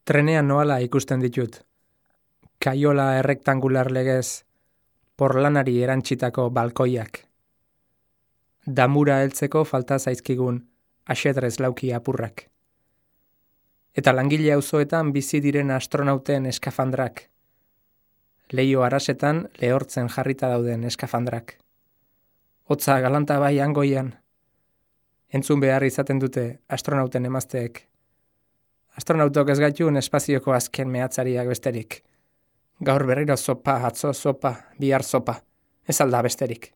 Trenean noala ikusten ditut. Kaiola errektangular legez, porlanari erantsitako balkoiak. Damura heltzeko falta zaizkigun axedrez lauki apurrak. Eta langile auzoetan bizi diren astronauten eskafandrak. Leio arasetan lehortzen jarrita dauden eskafandrak. Hotza galanta bai hangoian. Entzun behar izaten dute astronauten emazteek. Astronautok ez gaitun espazioko azken mehatzariak besterik. Gaur berriro zopa, atzo zopa, bihar zopa. Ez alda besterik.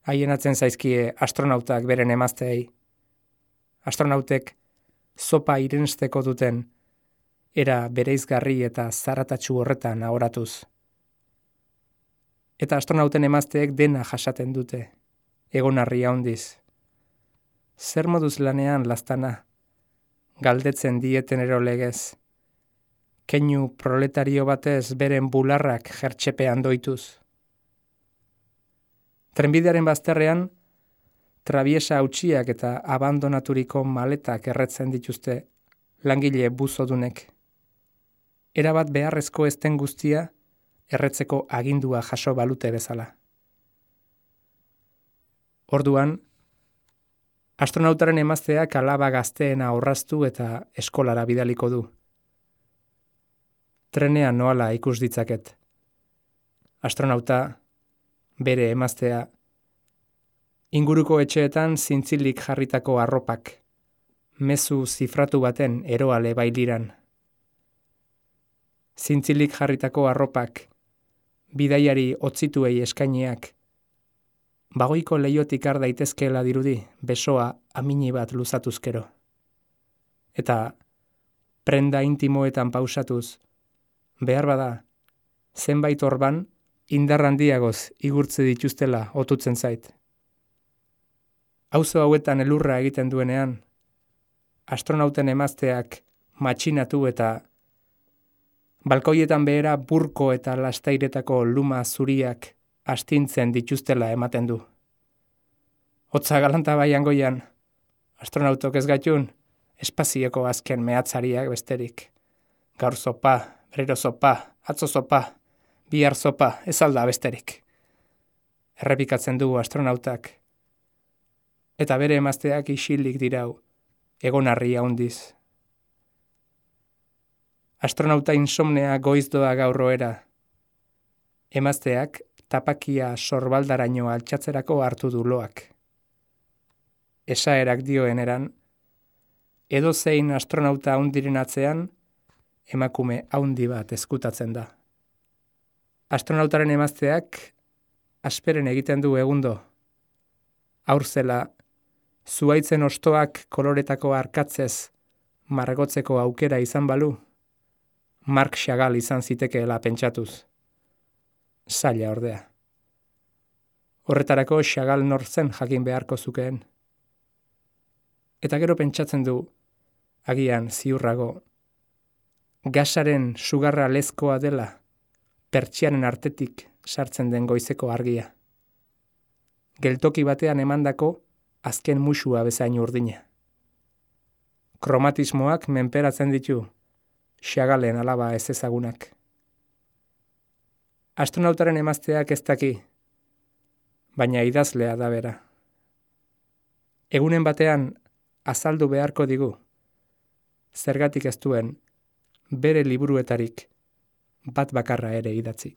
Haienatzen zaizkie astronautak beren emazteei. Astronautek zopa irensteko duten era bereizgarri eta zaratatsu horretan ahoratuz. Eta astronauten emazteek dena jasaten dute, egonarri handiz. Zer moduz lanean laztana, galdetzen dieten erolegez. Keinu proletario batez beren bularrak jertxepean doituz. Trenbidearen bazterrean, trabiesa hautsiak eta abandonaturiko maletak erretzen dituzte langile buzodunek. Erabat beharrezko ezten guztia, erretzeko agindua jaso balute bezala. Orduan, astronautaren emazteak alaba gazteena orraztu eta eskolara bidaliko du. Trenean noala ikus ditzaket. Astronauta, bere emaztea, inguruko etxeetan zintzilik jarritako arropak, mezu zifratu baten eroale bailiran. Zintzilik jarritako arropak, bidaiari otzituei eskainiak, bagoiko leiotik ar daitezkeela dirudi besoa amini bat luzatuzkero. Eta prenda intimoetan pausatuz, behar bada, zenbait orban indar handiagoz igurtze dituztela otutzen zait. Auzo hauetan elurra egiten duenean, astronauten emazteak matxinatu eta balkoietan behera burko eta lastairetako luma zuriak astintzen dituztela ematen du. Hotza galanta bai hangoian, astronautok ez gaitun, espazioko azken mehatzariak besterik. Gaur zopa, berriro zopa, atzo zopa, bihar zopa, ez alda besterik. Errepikatzen du astronautak. Eta bere emazteak isilik dirau, egonarri handiz. Astronauta insomnea goizdoa gaurroera. Emazteak tapakia sorbaldaraino altxatzerako hartu du loak. Esaerak dioen eran, edozein astronauta handiren atzean, emakume handi bat ezkutatzen da. Astronautaren emazteak asperen egiten du egundo. Haurzela, zuhaitzen ostoak koloretako arkatzez margotzeko aukera izan balu, Marc Chagall izan zitekeela pentsatuz. Zaila ordea. Horretarako Chagall nortzen jakin beharko zukeen. Eta gero pentsatzen du, agian ziurrago, gasaren sugarra lezkoa dela, pertsianen artetik sartzen den goizeko argia. Geltoki batean emandako azken musua bezain urdina. Kromatismoak menperatzen ditu, Chagallen alaba ez ezagunak. Astronautaren emazteak ez daki, baina idazlea da bera. Egunen batean azaldu beharko digu, zergatik ez duen bere liburuetarik bat bakarra ere idatzi.